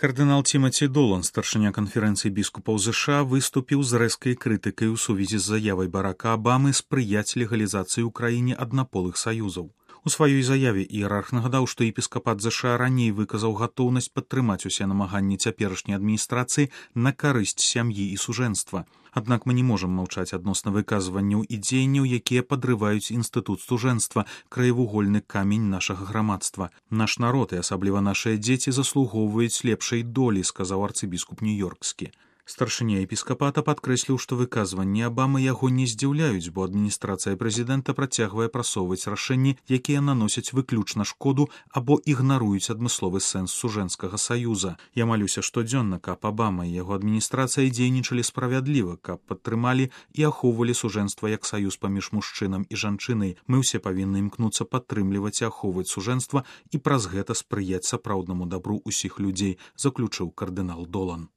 Кардынал Тимаці Долан, старшыня канферэнцыі біскупаў ЗША, выступіў з рэзкай крытыкай у сувязі з заявай Барака Абамы спрыяць легалізацыі ў краіне аднаполых саюзаў. У сваёй заяве іерарх нагадаў, што епіскапат ЗША раней выказаў гатоўнасць падтрымаць усе намаганні цяперашняй адміністрацыі на карысць сям'і і сужэнства. Аднак мы не можам маўчаць адносна выказванняў і дзеянняў, якія падрываюць інстытут стужэнства, краевугольны камень нашага грамадства. Наш народ і асабліва нашыя дзеці заслугоўваюць лепшай долі, сказаў арцыбіскуп нью-ёркскі. Старшыня епіскапата падкрэсліў, што выказванні Абамы яго не здзіўляюць, бо адміністрацыя прэзідэнта працягвае прасоўваць рашэнні, якія наносяць выключна шкоду або ігнаруюць адмысловы сэнс сужэнскага саюза. Я малюся штодзённа, каб Абама і яго адміністрацыя дзейнічалі справядліва, каб падтрымалі і ахоўвалі сужэнства як саюз паміж мужчынам і жанчынай. Мы ўсе павінны імкнуцца падтрымліваць і ахоўваць сужэнства і праз гэта спрыяць сапраўднаму дабру ўсіх людзей, заключыў кардынал Долан.